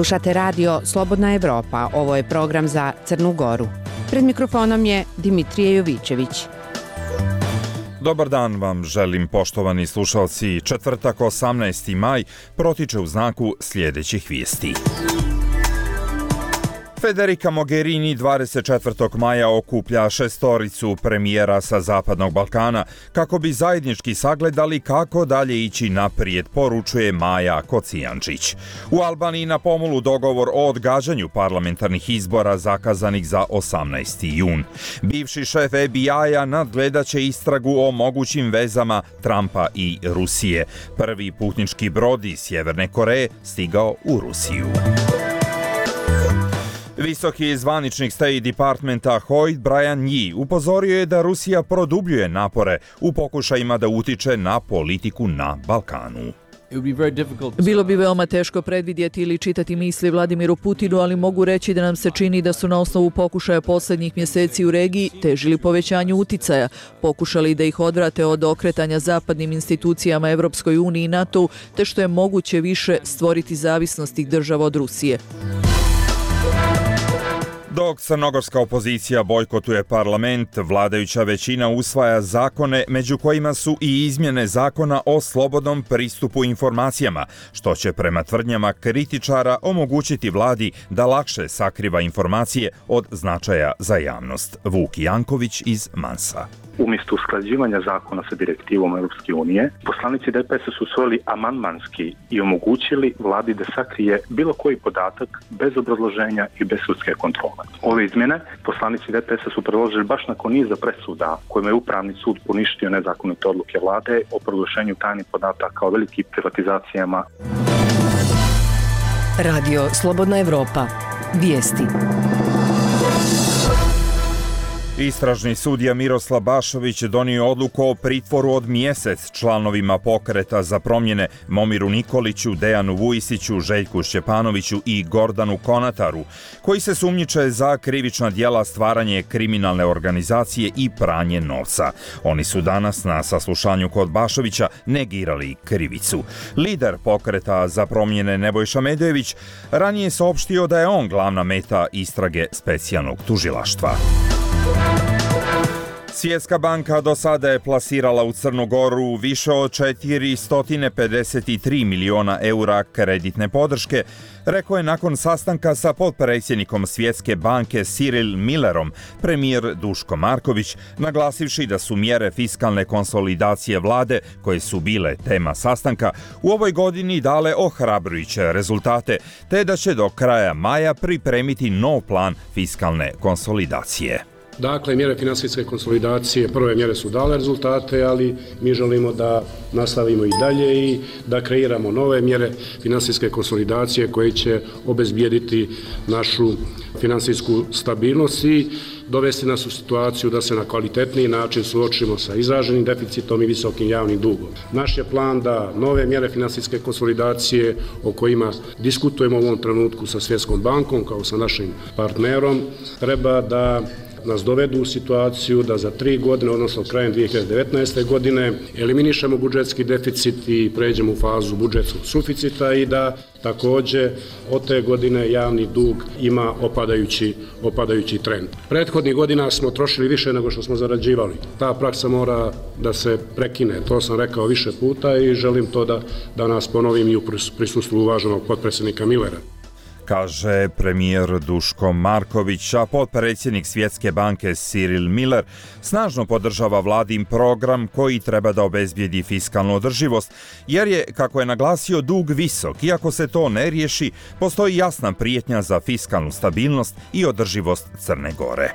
Slušate radio Slobodna Evropa, ovo je program za Crnu Goru. Pred mikrofonom je Dimitrije Jovićević. Dobar dan vam želim, poštovani slušalci. Četvrtak 18. maj protiče u znaku sljedećih vijesti. Federica Mogherini 24. maja okuplja šestoricu premijera sa Zapadnog Balkana kako bi zajednički sagledali kako dalje ići naprijed, poručuje Maja Kocijančić. U Albaniji na pomolu dogovor o odgađanju parlamentarnih izbora zakazanih za 18. jun. Bivši šef FBI-a nadgledaće istragu o mogućim vezama Trumpa i Rusije. Prvi putnički brod iz Sjeverne Koreje stigao u Rusiju. Visoki zvaničnik State Departmenta Hoyt Brian Yi upozorio je da Rusija produbljuje napore u pokušajima da utiče na politiku na Balkanu. Bilo bi veoma teško predvidjeti ili čitati misli Vladimiru Putinu, ali mogu reći da nam se čini da su na osnovu pokušaja posljednjih mjeseci u regiji težili povećanju uticaja, pokušali da ih odvrate od okretanja zapadnim institucijama Evropskoj uniji i NATO, te što je moguće više stvoriti zavisnost tih država od Rusije. Dok crnogorska opozicija bojkotuje parlament, vladajuća većina usvaja zakone, među kojima su i izmjene zakona o slobodnom pristupu informacijama, što će prema tvrdnjama kritičara omogućiti vladi da lakše sakriva informacije od značaja za javnost. Vuk Janković iz Mansa. Umjesto usklađivanja zakona sa direktivom Europske unije, poslanici DPS-a su usvojili amandmanski i omogućili vladi da sakrije bilo koji podatak bez obrazloženja i bez sudske kontrole. Ove izmjene poslanici DPS-a su predložili baš nakon niza presuda kojima je Upravni sud poništio nezakonite odluke vlade o proglašenju tajnih podataka o velikim privatizacijama. Radio Slobodna Evropa. Vijesti. Istražni sudija Miroslav Bašović donio odluku o pritvoru od mjesec članovima pokreta za promjene Momiru Nikoliću, Dejanu Vujisiću, Željku Šćepanoviću i Gordanu Konataru, koji se sumnjiče za krivična djela stvaranje kriminalne organizacije i pranje novca. Oni su danas na saslušanju kod Bašovića negirali krivicu. Lider pokreta za promjene Nebojša Medojević ranije saopštio da je on glavna meta istrage specijalnog tužilaštva. Svjetska banka do sada je plasirala u Crnu Goru više od 453 miliona eura kreditne podrške, rekao je nakon sastanka sa potpredsjednikom Svjetske banke Cyril Millerom premijer Duško Marković, naglasivši da su mjere fiskalne konsolidacije vlade, koje su bile tema sastanka, u ovoj godini dale ohrabrujuće rezultate, te da će do kraja maja pripremiti nov plan fiskalne konsolidacije. Dakle, mjere financijske konsolidacije, prve mjere su dale rezultate, ali mi želimo da nastavimo i dalje i da kreiramo nove mjere financijske konsolidacije koje će obezbijediti našu financijsku stabilnost i dovesti nas u situaciju da se na kvalitetniji način suočimo sa izraženim deficitom i visokim javnim dugom. Naš je plan da nove mjere financijske konsolidacije o kojima diskutujemo u ovom trenutku sa Svjetskom bankom kao sa našim partnerom treba da nas dovedu u situaciju da za 3 godine, odnosno krajem 2019. godine, eliminišemo budžetski deficit i pređemo u fazu budžetskog suficita i da također od te godine javni dug ima opadajući trend. Prethodnih godina smo trošili više nego što smo zarađivali. Ta praksa mora da se prekine. To sam rekao više puta i želim to da danas ponovim i u prisustvu uvaženog potpredsjednika Millera, kaže premijer Duško Marković, a potpredsjednik Svjetske banke Cyril Miller snažno podržava vladin program koji treba da obezbijedi fiskalnu održivost, jer je, kako je naglasio, dug visok. Iako se to ne riješi, postoji jasna prijetnja za fiskalnu stabilnost i održivost Crne Gore.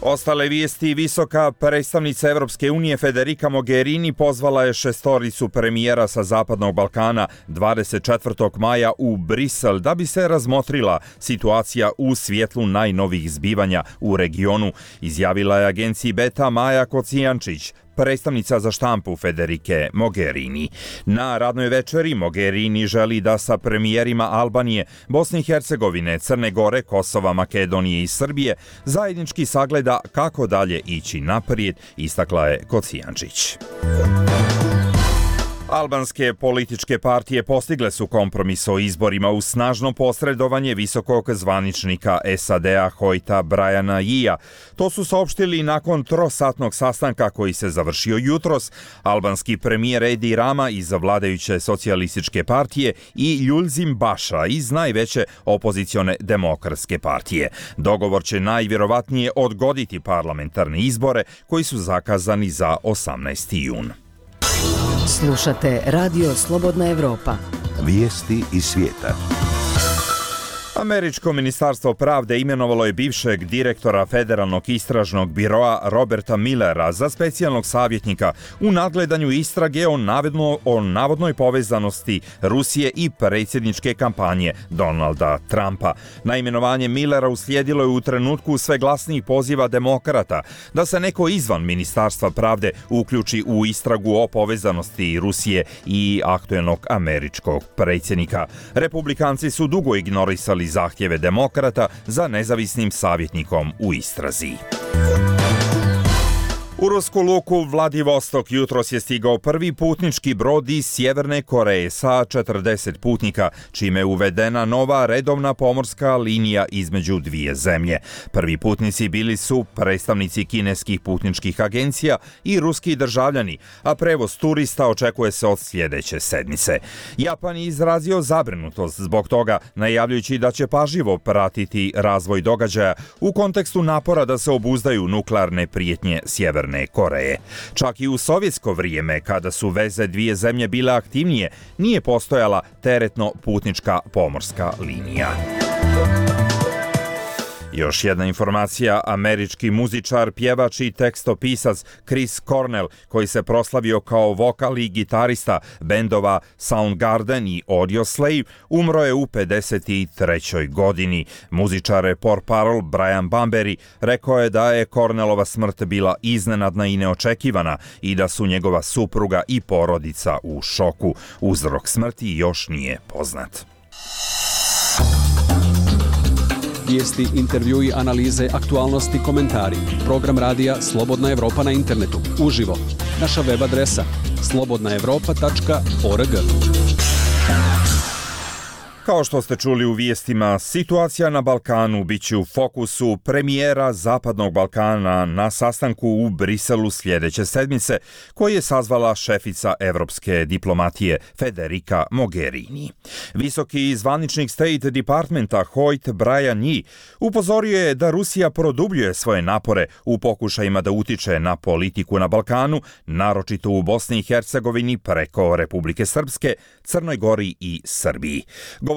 Ostale vijesti. Visoka predstavnica Europske unije Federica Mogherini pozvala je šestoricu premijera sa Zapadnog Balkana 24. maja u Brisel da bi se razmotrila situacija u svjetlu najnovijih zbivanja u regionu, izjavila je agenciji Beta Maja Kocijančić, predstavnica za štampu Federike Mogherini. Na radnoj večeri Mogherini želi da sa premijerima Albanije, Bosne i Hercegovine, Crne Gore, Kosova, Makedonije i Srbije zajednički sagleda kako dalje ići naprijed, istakla je Kocijančić. Albanske političke partije postigle su kompromis o izborima uz snažno posredovanje visokog zvaničnika SAD-a Hoyta Briana Yeea. To su saopštili nakon trosatnog sastanka koji se završio jutros albanski premijer Edi Rama iz vladajuće socijalističke partije i Ljulzim Baša iz najveće opozicione demokratske partije. Dogovor će najvjerovatnije odgoditi parlamentarne izbore koji su zakazani za 18. jun. Slušate Radio Slobodna Evropa. Vijesti iz svijeta. Američko ministarstvo pravde imenovalo je bivšeg direktora Federalnog istražnog biroa Roberta Millera za specijalnog savjetnika u nadgledanju istrage o navodnoj povezanosti Rusije i predsjedničke kampanje Donalda Trumpa. Na imenovanje Millera uslijedilo je u trenutku sve glasnijih poziva demokrata da se neko izvan ministarstva pravde uključi u istragu o povezanosti Rusije i aktuelnog američkog predsjednika. Republikanci su dugo ignorisali zahtjeve demokrata za nezavisnim savjetnikom u istrazi. U rusku luku Vladivostok jutros je stigao prvi putnički brod iz Sjeverne Koreje sa 40 putnika, čime je uvedena nova redovna pomorska linija između dvije zemlje. Prvi putnici bili su predstavnici kineskih putničkih agencija i ruski državljani, a prevoz turista očekuje se od sljedeće sedmice. Japan je izrazio zabrinutost zbog toga, najavljujući da će pažljivo pratiti razvoj događaja u kontekstu napora da se obuzdaju nuklearne prijetnje Sjeverne Koreje. Čak i u sovjetsko vrijeme, kada su veze dvije zemlje bile aktivnije, nije postojala teretno-putnička pomorska linija. Još jedna informacija, američki muzičar, pjevač i tekstopisac Chris Cornell, koji se proslavio kao vokal i gitarista bendova Soundgarden i Audioslave, umro je u 53. godini. Muzičar portparol Brian Bambury rekao je da je Cornellova smrt bila iznenadna i neočekivana i da su njegova supruga i porodica u šoku. Uzrok smrti još nije poznat. Vijesti, intervjui, analize, aktualnosti, komentari. Program radija Slobodna Evropa na internetu. Uživo. Naša web adresa slobodnaevropa.org. Kao što ste čuli u vijestima, situacija na Balkanu biće u fokusu premijera Zapadnog Balkana na sastanku u Briselu sljedeće sedmice, koji je sazvala šefica evropske diplomatije Federica Mogherini. Visoki zvaničnik State Departmenta Hoyt Brian Yee upozorio je da Rusija produbljuje svoje napore u pokušajima da utiče na politiku na Balkanu, naročito u Bosni i Hercegovini preko Republike Srpske, Crnoj Gori i Srbiji.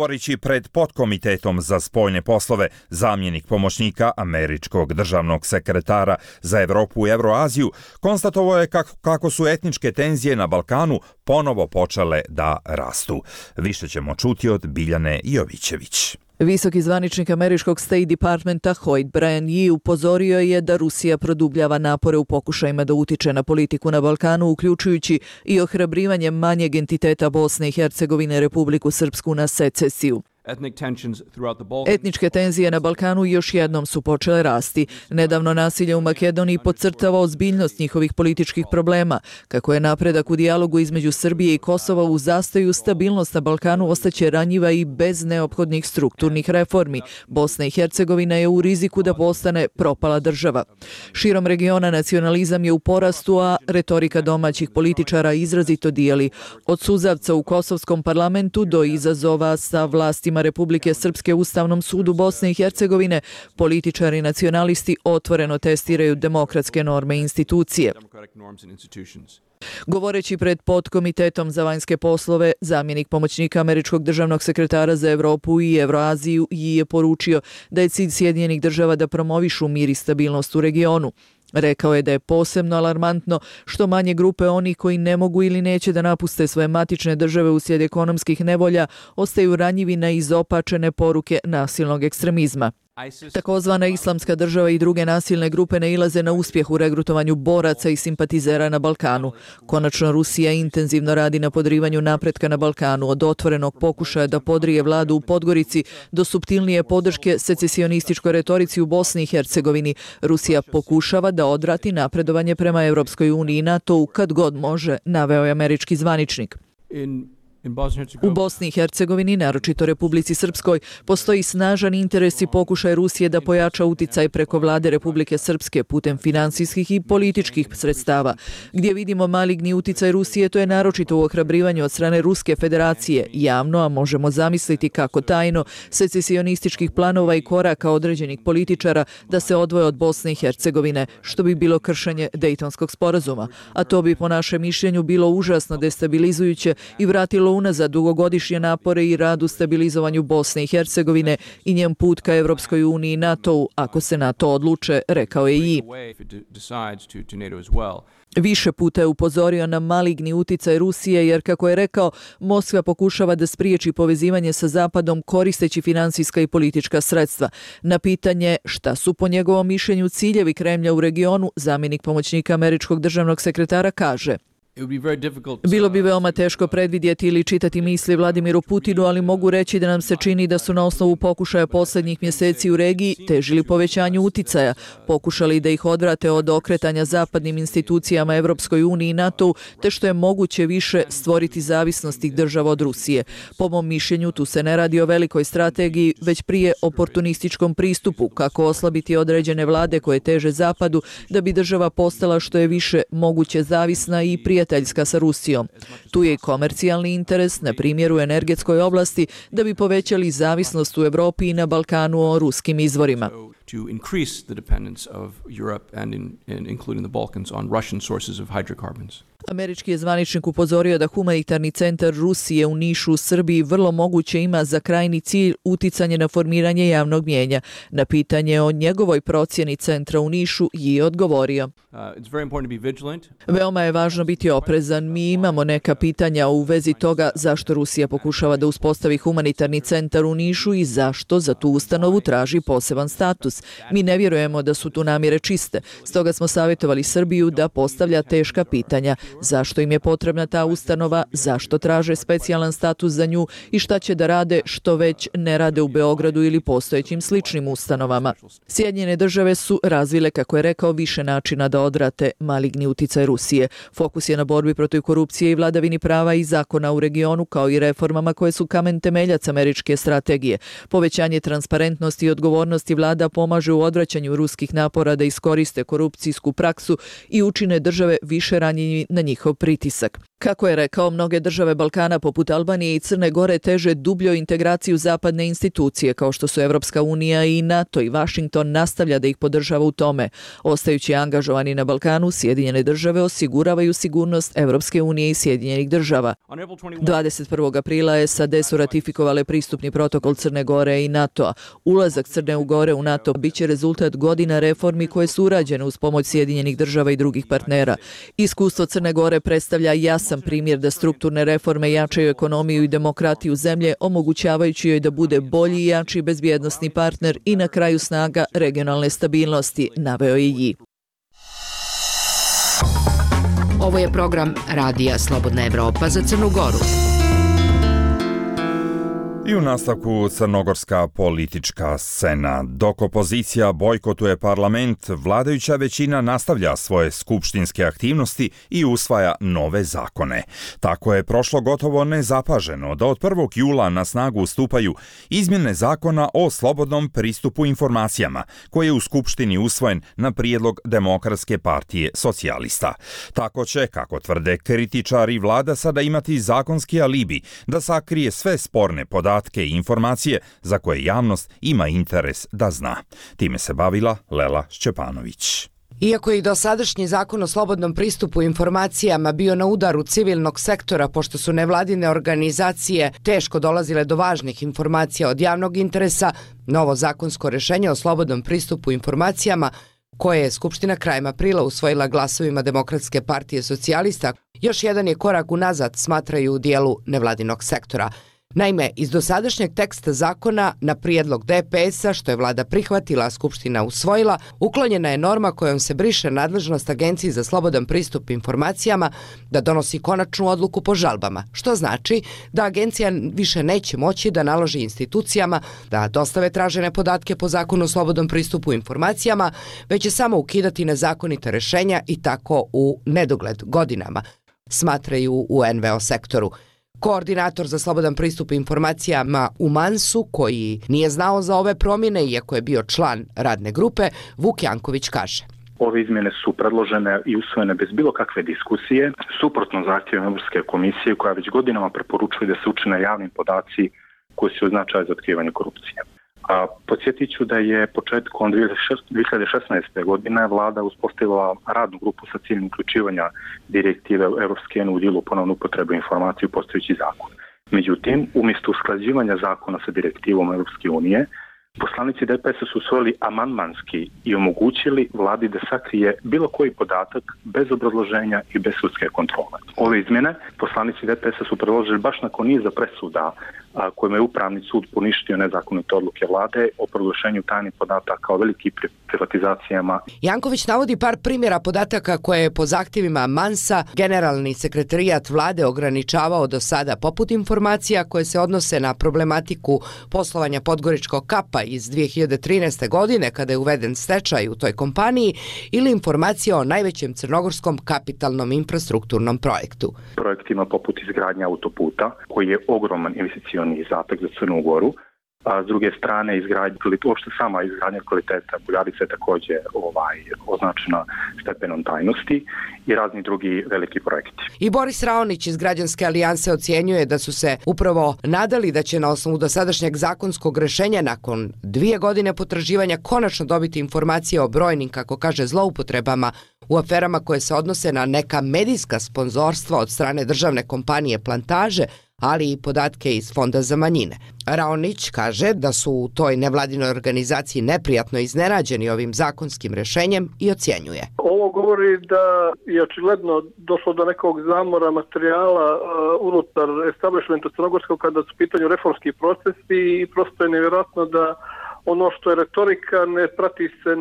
Govorići pred podkomitetom za spoljne poslove, zamjenik pomoćnika američkog državnog sekretara za Evropu i Evroaziju konstatovao je kako su etničke tenzije na Balkanu ponovo počele da rastu. Više ćemo čuti od Biljane Jovićević. Visoki zvaničnik američkog State Departmenta Hoyt Brian Yee upozorio je da Rusija produbljava napore u pokušajima da utiče na politiku na Balkanu, uključujući i ohrabrivanje manjeg entiteta Bosne i Hercegovine, Republiku Srpsku, na secesiju. Etničke tenzije na Balkanu još jednom su počele rasti. Nedavno nasilje u Makedoniji podcrtava ozbiljnost njihovih političkih problema. Kako je napredak u dijalogu između Srbije i Kosova u zastoju, stabilnost na Balkanu ostaće ranjiva i bez neophodnih strukturnih reformi. Bosna i Hercegovina je u riziku da postane propala država. Širom regiona nacionalizam je u porastu, a retorika domaćih političara izrazito dijeli. Od suzavca u kosovskom parlamentu do izazova sa vlastima Republike Srpske Ustavnom sudu Bosne i Hercegovine, političari i nacionalisti otvoreno testiraju demokratske norme i institucije. Govoreći pred podkomitetom za vanjske poslove, zamjenik pomoćnika američkog državnog sekretara za Evropu i Evroaziju je poručio da je cilj Sjedinjenih država da promovišu mir i stabilnost u regionu. Rekao je da je posebno alarmantno što manje grupe onih koji ne mogu ili neće da napuste svoje matične države uslijed ekonomskih nevolja ostaju ranjivi na izopačene poruke nasilnog ekstremizma. Takozvana Islamska država i druge nasilne grupe nailaze na uspjeh u regrutovanju boraca i simpatizera na Balkanu. Konačno, Rusija intenzivno radi na podrivanju napretka na Balkanu, od otvorenog pokušaja da podrije vladu u Podgorici do suptilnije podrške secesionističkoj retorici u Bosni i Hercegovini. Rusija pokušava da odvrati napredovanje prema Europskoj uniji i NATO-u kad god može, naveo je američki zvaničnik. U Bosni i Hercegovini, naročito Republici Srpskoj, postoji snažan interes i pokušaj Rusije da pojača uticaj preko vlade Republike Srpske putem finansijskih i političkih sredstava. Gdje vidimo maligni uticaj Rusije, to je naročito u ohrabrivanju od strane Ruske federacije, javno, a možemo zamisliti kako tajno, secesionističkih planova i koraka određenih političara da se odvoje od Bosne i Hercegovine, što bi bilo kršenje Dejtonskog sporazuma. A to bi po našem mišljenju bilo užasno destabilizujuće i vratilo unazad dugogodišnje napore i rad u stabilizovanju Bosne i Hercegovine i njen put ka Europskoj uniji i NATO-u, ako se na to odluče, rekao je i. Više puta je upozorio na maligni uticaj Rusije jer, kako je rekao, Moskva pokušava da spriječi povezivanje sa Zapadom koristeći finansijska i politička sredstva. Na pitanje šta su po njegovom mišljenju ciljevi Kremlja u regionu, zamjenik pomoćnika američkog državnog sekretara kaže: bilo bi veoma teško predvidjeti ili čitati misli Vladimiru Putinu, ali mogu reći da nam se čini da su na osnovu pokušaja posljednjih mjeseci u regiji težili povećanju uticaja, pokušali da ih odvrate od okretanja zapadnim institucijama Europskoj uniji i NATO-u, te što je moguće više stvoriti zavisnost tih država od Rusije. Po mom mišljenju, tu se ne radi o velikoj strategiji, već prije oportunističkom pristupu, kako oslabiti određene vlade koje teže Zapadu, da bi država postala što je više moguće zavisna i prijateljska sa Rusijom. Tu je i komercijalni interes, na primjer u energetskoj oblasti, da bi povećali zavisnost u Evropi i na Balkanu o ruskim izvorima. To increase the dependence of Europe and including the Balkans on Russian sources of hydrocarbons. Američki je zvaničnik upozorio da humanitarni centar Rusije u Nišu u Srbiji vrlo moguće ima za krajni cilj uticanje na formiranje javnog mnijenja. Na pitanje o njegovoj procjeni centra u Nišu je odgovorio: veoma je važno biti oprezan. Mi imamo neka pitanja u vezi toga zašto Rusija pokušava da uspostavi humanitarni centar u Nišu i zašto za tu ustanovu traži poseban status. Mi ne vjerujemo da su tu namjere čiste. Stoga smo savjetovali Srbiju da postavlja teška pitanja. Zašto im je potrebna ta ustanova, zašto traže specijalan status za nju i šta će da rade što već ne rade u Beogradu ili postojećim sličnim ustanovama. Sjedinjene države su razvile, kako je rekao, više načina da odvrate maligni uticaj Rusije. Fokus je na borbi protiv korupcije i vladavini prava i zakona u regionu, kao i reformama koje su kamen temeljac američke strategije. Povećanje transparentnosti i odgovornosti vlada pomaže u odvraćanju ruskih napora da iskoriste korupcijsku praksu i učine države više ranjivi na njihov pritisak. Kako je rekao, mnoge države Balkana poput Albanije i Crne Gore teže dubljoj integraciju zapadne institucije kao što su Evropska unija i NATO, i Vašington nastavlja da ih podržava u tome. Ostajući angažovani na Balkanu, Sjedinjene države osiguravaju sigurnost Evropske unije i Sjedinjenih država. 21. aprila SAD su ratifikovale pristupni protokol Crne Gore i NATO-a. Ulazak Crne Gore u NATO biće rezultat godina reformi koje su urađene uz pomoć Sjedinjenih država i drugih partnera. Iskustvo Crne Gore predstavlja jasan primjer da strukturne reforme jačaju ekonomiju i demokratiju zemlje, omogućavajući joj da bude bolji i jači bezbjednosni partner i na kraju snaga regionalne stabilnosti, naveo je i. Ovo je program Radija Slobodna Evropa za Crnu Goru. I u nastavku crnogorska politička scena. Dok opozicija bojkotuje parlament, vladajuća većina nastavlja svoje skupštinske aktivnosti i usvaja nove zakone. Tako je prošlo gotovo nezapaženo da od 1. jula na snagu stupaju izmjene zakona o slobodnom pristupu informacijama, koji je u skupštini usvojen na prijedlog Demokratske partije socijalista. Tako će, kako tvrde kritičari, vlada sada imati zakonski alibi da sakrije sve sporne podatke i informacije za koje javnost ima interes da zna. Time se bavila Lela Šćepanović. Iako je i dosadašnji zakon o slobodnom pristupu informacijama bio na udaru civilnog sektora, pošto su nevladine organizacije teško dolazile do važnih informacija od javnog interesa, novo zakonsko rješenje o slobodnom pristupu informacijama, koje je Skupština krajem aprila usvojila glasovima Demokratske partije socijalista, još jedan je korak unazad, smatraju u dijelu nevladinog sektora. Naime, iz dosadašnjeg teksta zakona na prijedlog DPS-a, što je vlada prihvatila, a Skupština usvojila, uklonjena je norma kojom se briše nadležnost Agenciji za slobodan pristup informacijama da donosi konačnu odluku po žalbama, što znači da agencija više neće moći da naloži institucijama da dostave tražene podatke po zakonu o slobodnom pristupu informacijama, već će samo ukidati nezakonita rješenja i tako u nedogled godinama, smatraju u NVO sektoru. Koordinator za slobodan pristup informacijama u Mansu, koji nije znao za ove promjene, iako je bio član radne grupe, Vuk Janković kaže. Ove izmjene su predložene i usvojene bez bilo kakve diskusije, suprotno zahtjevima Europske komisije koja već godinama preporučuje da se učine javni podaci koji su značaj za otkrivanje korupcije. Podsjetit ću da je početkom 2016. godine vlada uspostavila radnu grupu sa ciljem uključivanja direktive Europske unije u dijelu ponovnu upotrebu informacije u postojeći zakon. Međutim, umjesto usklađivanja zakona sa direktivom Europske unije, poslanici DPS su usvojili amandmanski i omogućili vladi da sakrije bilo koji podatak bez obrazloženja i bez sudske kontrole. Ove izmjene poslanici DPS su predložili baš nakon niza presuda kojima je Upravni sud poništio nezakonite odluke vlade o proglašenju tajnih podataka o velikim privatizacijama. Janković navodi par primjera podataka koje je po zahtjevima Mansa generalni sekretarijat vlade ograničavao do sada, poput informacija koje se odnose na problematiku poslovanja Podgoričkog kapa iz 2013. godine kada je uveden stečaj u toj kompaniji ili informacija o najvećem crnogorskom kapitalnom infrastrukturnom projektu. Projektima poput izgradnja autoputa koji je ogroman investicioni izdatak za Crnu Goru, a s druge strane uopšte sama izgradnja kvaliteta Buljarice je također označena stepenom tajnosti i razni drugi veliki projekti. I Boris Raonić iz Građanske alijanse ocjenjuje da su se upravo nadali da će na osnovu dosadašnjeg zakonskog rješenja nakon 2 godine potraživanja konačno dobiti informacije o brojnim, kako kaže, zloupotrebama u aferama koje se odnose na neka medijska sponzorstva od strane državne kompanije Plantaže, ali i podatke iz Fonda za manjine. Raonić kaže da su u toj nevladinoj organizaciji neprijatno iznenađeni ovim zakonskim rješenjem i ocjenjuje. Ovo govori da je očigledno došlo do nekog zamora materijala unutar establishmenta crnogorskog kada su u pitanju reformski procesi i prosto je nevjerojatno da ono što je retorika ne prati se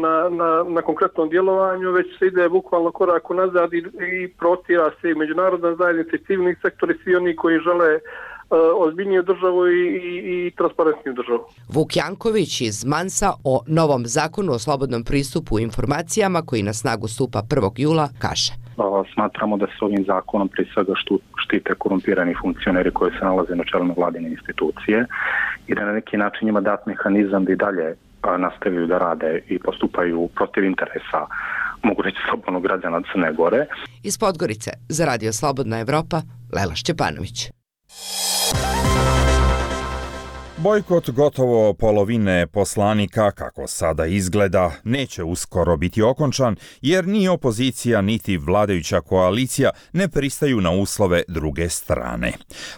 na konkretnom djelovanju, već se ide bukvalno korak unazad i protira se i međunarodna zajednica i civilni sektori, svi oni koji žele ozbiljniju državu i transparentniju državu. Vuk Janković iz Mansa o novom zakonu o slobodnom pristupu informacijama koji na snagu stupa 1. jula kaže. Smatramo da se ovim zakonom prije svega štite korumpirani funkcioneri koji se nalaze na čelu vladine institucije i da na neki način njima dat mehanizam da i dalje nastavljaju da rade i postupaju protiv interesa, mogu reći, slobodnog građana Crne Gore. Iz Podgorice za Radio Slobodna Evropa, Lela Šćepanović. Bojkot gotovo polovine poslanika, kako sada izgleda, neće uskoro biti okončan, jer ni opozicija niti vladajuća koalicija ne pristaju na uslove druge strane.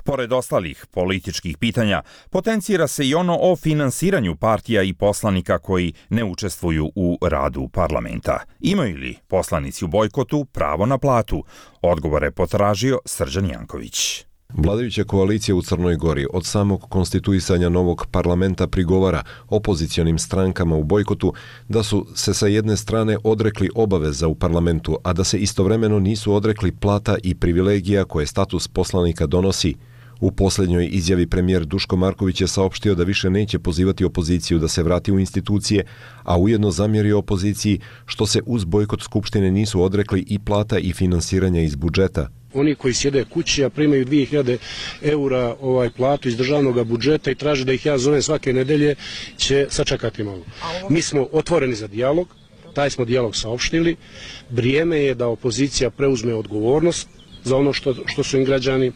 Pored ostalih političkih pitanja, potencira se i ono o finansiranju partija i poslanika koji ne učestvuju u radu parlamenta. Imaju li poslanici u bojkotu pravo na platu? Odgovore je potražio Srđan Janković. Vladajuća koalicija u Crnoj Gori od samog konstituisanja novog parlamenta prigovara opozicionim strankama u bojkotu da su se sa jedne strane odrekli obaveza u parlamentu, a da se istovremeno nisu odrekli plata i privilegija koje status poslanika donosi. U posljednjoj izjavi premijer Duško Marković je saopštio da više neće pozivati opoziciju da se vrati u institucije, a ujedno zamjerio opoziciji što se uz bojkot Skupštine nisu odrekli i plata i finansiranja iz budžeta. Oni koji sjede kući, a primaju 2000 eura platu iz državnog budžeta i traže da ih ja zovem svake nedelje, će sačekati malo. Mi smo otvoreni za dijalog, taj smo dijalog saopštili. Vrijeme je da opozicija preuzme odgovornost za ono što su im građani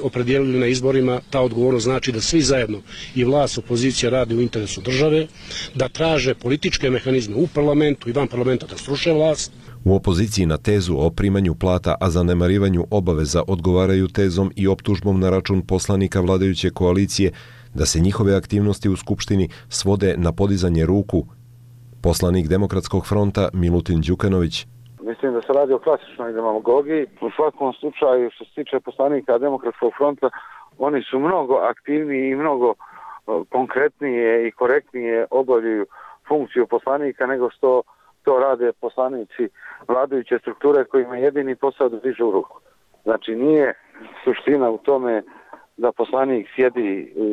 opredijelili na izborima. Ta odgovornost znači da svi zajedno, i vlast, opozicija, radi u interesu države, da traže političke mehanizme u parlamentu i van parlamenta da sruše vlast. U opoziciji na tezu o primanju plata, a zanemarivanju obaveza odgovaraju tezom i optužbom na račun poslanika vladajuće koalicije da se njihove aktivnosti u Skupštini svode na podizanje ruku. Poslanik Demokratskog fronta Milutin Đukanović. Mislim da se radi o klasičnoj demagogiji. U svakom slučaju, što se tiče poslanika Demokratskog fronta, Oni su mnogo aktivniji i mnogo konkretnije i korektnije obavljaju funkciju poslanika nego što to rade poslanici vladajuće strukture kojima je jedini posao da dižu ruku. Znači nije suština u tome da poslanik sjedi u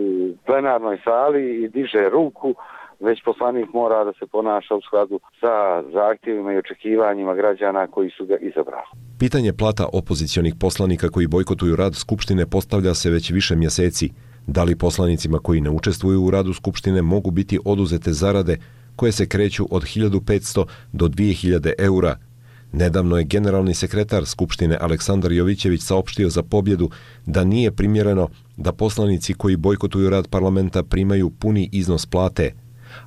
plenarnoj sali i diže ruku, već poslanik mora da se ponaša u skladu sa zahtjevima i očekivanjima građana koji su ga izabrali. Pitanje plata opozicionih poslanika koji bojkotuju rad Skupštine postavlja se već više mjeseci. Da li poslanicima koji ne učestvuju u radu Skupštine mogu biti oduzete zarade koje se kreću od 1500 do 2000 eura? Nedavno je generalni sekretar Skupštine Aleksandar Jovićević saopštio za Pobjedu da nije primjereno da poslanici koji bojkotuju rad parlamenta primaju puni iznos plate,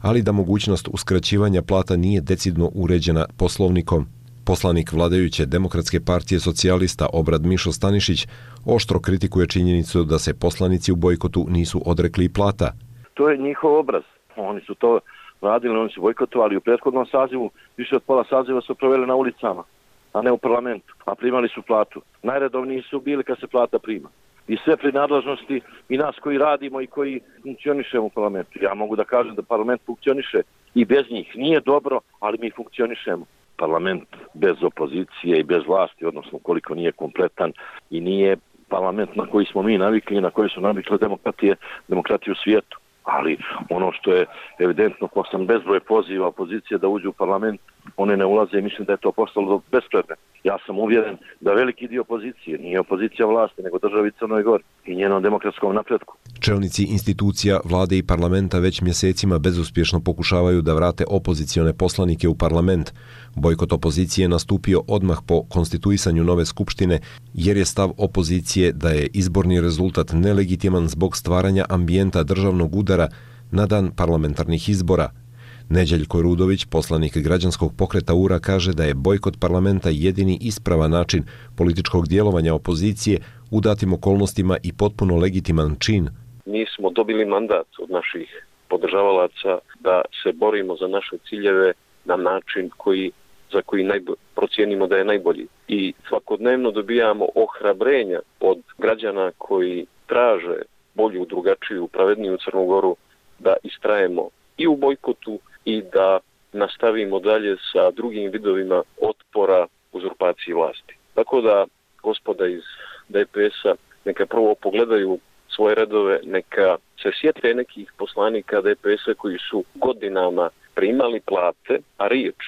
ali da mogućnost uskraćivanja plata nije decidno uređena poslovnikom. Poslanik vladajuće Demokratske partije socijalista Obrad Mišo Stanišić oštro kritikuje činjenicu da se poslanici u bojkotu nisu odrekli plata. To je njihov obraz. Oni su to radili, oni su bojkotovali u prethodnom sazivu, više od pola saziva su proveli na ulicama, a ne u parlamentu, a primali su platu. Najredovniji su bili kad se plata prima. I sve prinadležnosti i nas koji radimo i koji funkcionišemo u parlamentu. Ja mogu da kažem da parlament funkcioniše i bez njih. Nije dobro, ali mi funkcionišemo. Parlament bez opozicije i bez vlasti, odnosno koliko nije kompletan i nije parlament na koji smo mi navikli i na koji su navikle demokratije u svijetu. Ali ono što je evidentno, posle bezbroj poziva opozicije da uđe u parlament, one ne ulaze i mislim da je to postalo bespredmetno. Ja sam uvjeren da veliki dio opozicije nije opozicija vlasti, nego državi Crnoj Gori i njenom demokratskom napretku. Čelnici institucija, vlade i parlamenta već mjesecima bezuspješno pokušavaju da vrate opozicione poslanike u parlament. Bojkot opozicije je nastupio odmah po konstituisanju nove skupštine, jer je stav opozicije da je izborni rezultat nelegitiman zbog stvaranja ambijenta državnog udara na dan parlamentarnih izbora. Neđeljko Rudović, poslanik građanskog pokreta URA, kaže da je bojkot parlamenta jedini ispravan način političkog djelovanja opozicije u datim okolnostima i potpuno legitiman čin. Mi smo dobili mandat od naših podržavalaca da se borimo za naše ciljeve na način za koji procijenimo da je najbolji. I svakodnevno dobijamo ohrabrenja od građana koji traže bolju, drugačiju, pravedniju Crnu Goru da istrajemo i u bojkotu i da nastavimo dalje sa drugim vidovima otpora uzurpaciji vlasti. Tako da gospoda iz DPS-a neka prvo pogledaju svoje redove, neka se sjete nekih poslanika DPS-a koji su godinama primali plate, a riječ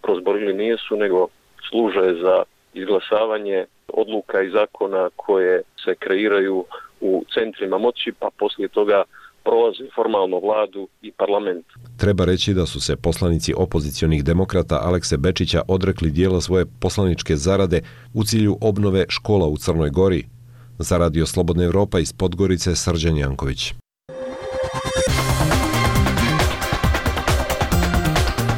prozborili nisu, nego služe za izglasavanje odluka i zakona koje se kreiraju u centrima moći, pa poslije toga prolazi formalno vladu i parlament. Treba reći da su se poslanici opozicionih demokrata Alekse Bečića odrekli dijela svoje poslaničke zarade u cilju obnove škola u Crnoj Gori. Za Radio Slobodna Evropa iz Podgorice, Srđan Janković.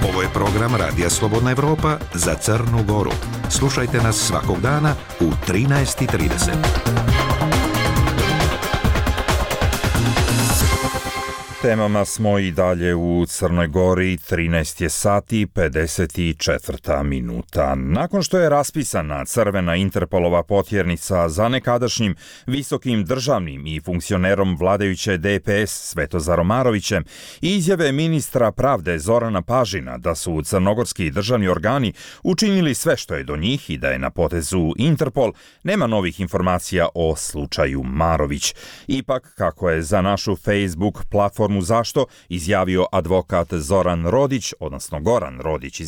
Ovo je program Radija Slobodna Evropa za Crnu Goru. Slušajte nas svakog dana u 13:30. Temama smo i dalje u Crnoj Gori, 13 je sati 54 minuta. Nakon što je raspisana crvena Interpolova potjernica za nekadašnjim visokim državnim i funkcionerom vladajuće DPS Svetozarom Marovićem i izjave ministra pravde Zorana Pažina da su crnogorski državni organi učinili sve što je do njih i da je na potezu Interpol, nema novih informacija o slučaju Marović. Ipak, kako je za našu Facebook platformu Zašto izjavio advokat Zoran Rodić, odnosno Goran Rodić,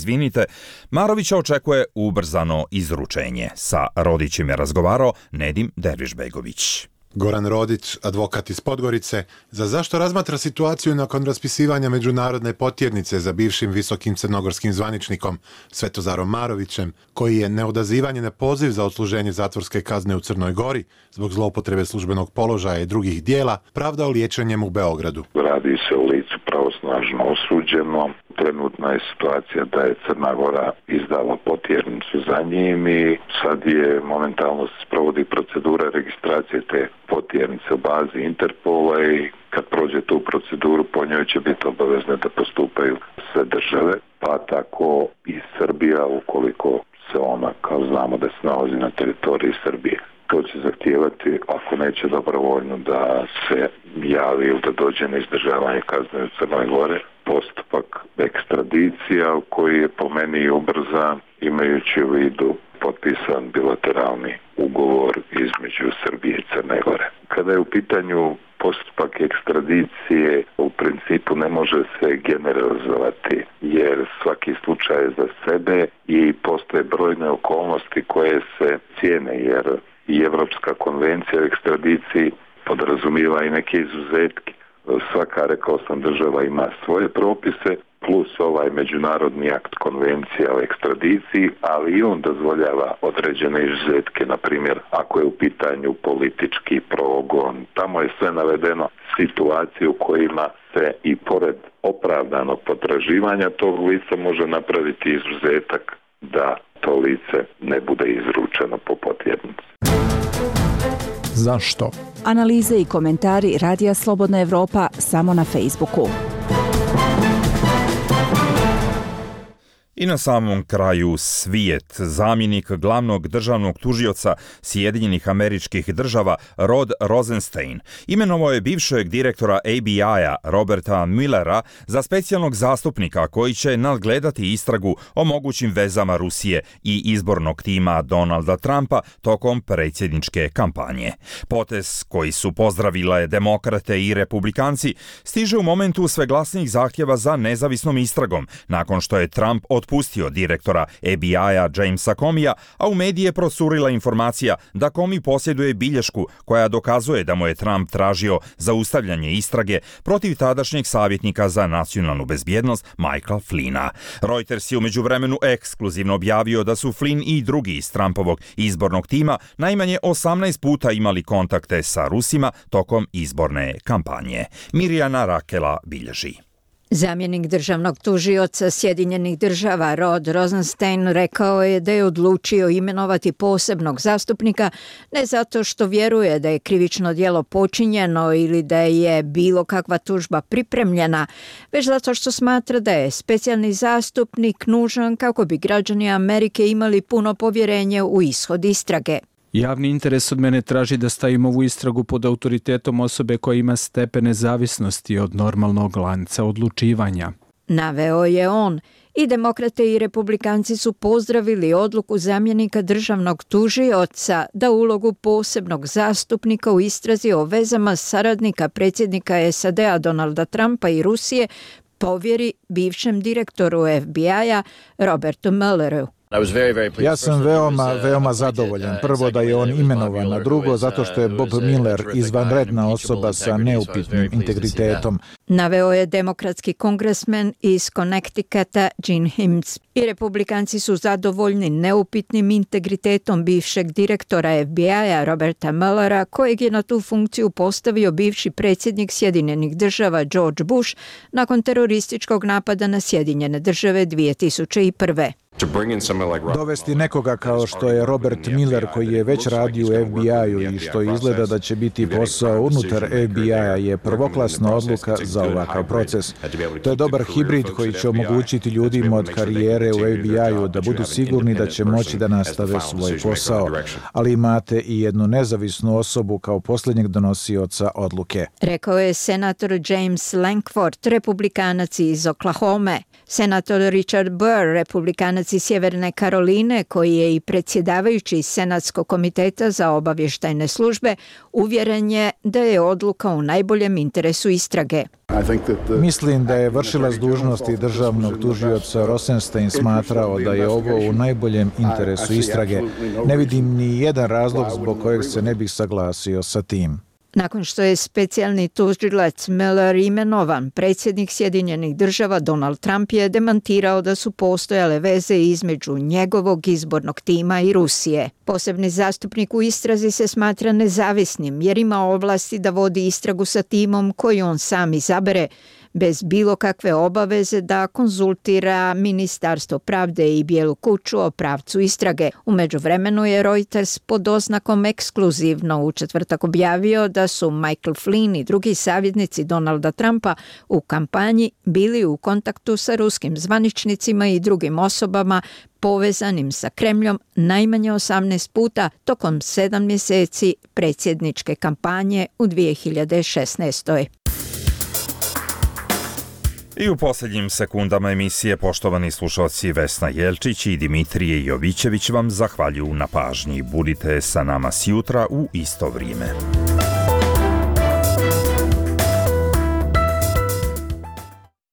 Marovića očekuje ubrzano izručenje. Sa Rodićem je razgovarao Nedim Dervišbegović. Goran Rodić, advokat iz Podgorice, za Zašto razmatra situaciju nakon raspisivanja međunarodne potjernice za bivšim visokim crnogorskim zvaničnikom Svetozarom Marovićem, koji je neodazivanje na poziv za odsluženje zatvorske kazne u Crnoj Gori zbog zloupotrebe službenog položaja i drugih dijela pravdao liječenjem u Beogradu. Radi se o licu pravosnažno osuđeno. Trenutna je situacija da je Crna Gora izdala potjernicu za njim i sad je momentalno se sprovodi procedura registracije te potjernice u bazi Interpola i kad prođe tu proceduru po njoj će biti obavezne da postupaju sve države, pa tako i Srbija ukoliko se ona, kao znamo da se nalazi na teritoriji Srbije. To će zahtijevati, ako neće dobrovoljno, da se javi ili da dođe na izdržavanje kazne u Crnoj Gore, postupak ekstradicija koji je po meni ubrzan, imajući u vidu potpisan bilateralni ugovor između Srbije i Crne Gore. Kada je u pitanju postupak ekstradicije, u principu ne može se generalizovati, jer svaki slučaj je za sebe i postoje brojne okolnosti koje se cijene, jer i Evropska konvencija o ekstradiciji podrazumijeva i neke izuzetke. Svaka, rekao sam, država ima svoje propise, plus ovaj međunarodni akt konvencija o ekstradiciji, ali i on dozvoljava određene izuzetke, na primjer, ako je u pitanju politički progon. Tamo je sve navedeno, situacije u kojima se i pored opravdanog potraživanja tog lica može napraviti izuzetak da to lice ne bude izručeno po potjernici. Zašto? Analize i komentari Radija Slobodna Evropa samo na Facebooku. I na samom kraju svijet. Zamjenik glavnog državnog tužioca Sjedinjenih Američkih Država Rod Rosenstein imenovao je bivšeg direktora ABI-a Roberta Muellera za specijalnog zastupnika koji će nadgledati istragu o mogućim vezama Rusije i izbornog tima Donalda Trumpa tokom predsjedničke kampanje. Potez koji su pozdravile demokrate i republikanci stiže u momentu sve glasnijih zahtjeva za nezavisnom istragom nakon što je Trump otpustio direktora ABI-a Jamesa Comeyja, a u medije procurila informacija da Comey posjeduje bilješku koja dokazuje da mu je Trump tražio zaustavljanje istrage protiv tadašnjeg savjetnika za nacionalnu bezbjednost Michaela Flynna. Reuters je u međuvremenu ekskluzivno objavio da su Flynn i drugi iz Trumpovog izbornog tima najmanje 18 puta imali kontakte sa Rusima tokom izborne kampanje. Mirjana Rakela bilježi. Zamjenik državnog tužioca Sjedinjenih Država Rod Rosenstein rekao je da je odlučio imenovati posebnog zastupnika ne zato što vjeruje da je krivično djelo počinjeno ili da je bilo kakva tužba pripremljena, već zato što smatra da je specijalni zastupnik nužan kako bi građani Amerike imali puno povjerenje u ishod istrage. Javni interes od mene traži da stavim ovu istragu pod autoritetom osobe koja ima stepen nezavisnosti od normalnog lanca odlučivanja. Naveo je on. I demokrate i republikanci su pozdravili odluku zamjenika državnog tužioca da ulogu posebnog zastupnika u istrazi o vezama saradnika predsjednika SAD-a Donalda Trumpa i Rusije povjeri bivšem direktoru FBI-a Robertu Muelleru. Ja sam veoma zadovoljan. Prvo da je on imenovan, a drugo zato što je Bob Mueller izvanredna osoba sa neupitnim integritetom. Naveo je demokratski kongresmen iz Connecticuta Gene Himes. I republikanci su zadovoljni neupitnim integritetom bivšeg direktora FBI-a Roberta Muellera, kojeg je na tu funkciju postavio bivši predsjednik Sjedinjenih Država George Bush nakon terorističkog napada na Sjedinjene Države 2001. Dovesti nekoga kao što je Robert Mueller, koji je već radio u FBI-u i što izgleda da će biti posao unutar FBI-a, je prvoklasna odluka za ovakav proces. To je dobar hibrid koji će omogućiti ljudima od karijere u FBI-u da budu sigurni da će moći da nastave svoj posao. Ali imate i jednu nezavisnu osobu kao posljednjeg donosioca odluke. Rekao je senator James Lankford, republikanac iz Oklahome. Senator Richard Burr, republikanac iz Sjeverne Karoline, koji je i predsjedavajući Senatskog komiteta za obavještajne službe, uvjeren je da je odluka u najboljem interesu istrage. Mislim da je vršilac dužnosti državnog tužioca Rosenstein smatrao da je ovo u najboljem interesu istrage. Ne vidim ni jedan razlog zbog kojeg se ne bih saglasio sa tim. Nakon što je specijalni tužilac Mueller imenovan, predsjednik Sjedinjenih Država Donald Trump je demantirao da su postojale veze između njegovog izbornog tima i Rusije. Posebni zastupnik u istrazi se smatra nezavisnim jer ima ovlasti da vodi istragu sa timom koji on sam izabere, bez bilo kakve obaveze da konzultira Ministarstvo pravde i Bijelu kuću o pravcu istrage. U međuvremenu je Reuters pod oznakom ekskluzivno u četvrtak objavio da su Michael Flynn i drugi savjetnici Donalda Trumpa u kampanji bili u kontaktu sa ruskim zvaničnicima i drugim osobama povezanim sa Kremljom najmanje 18 puta tokom 7 mjeseci predsjedničke kampanje u 2016. I u posljednjim sekundama emisije poštovani slušalci Vesna Jelčić i Dimitrije Jovićević vam zahvaljuju na pažnji. Budite sa nama sjutra u isto vrijeme.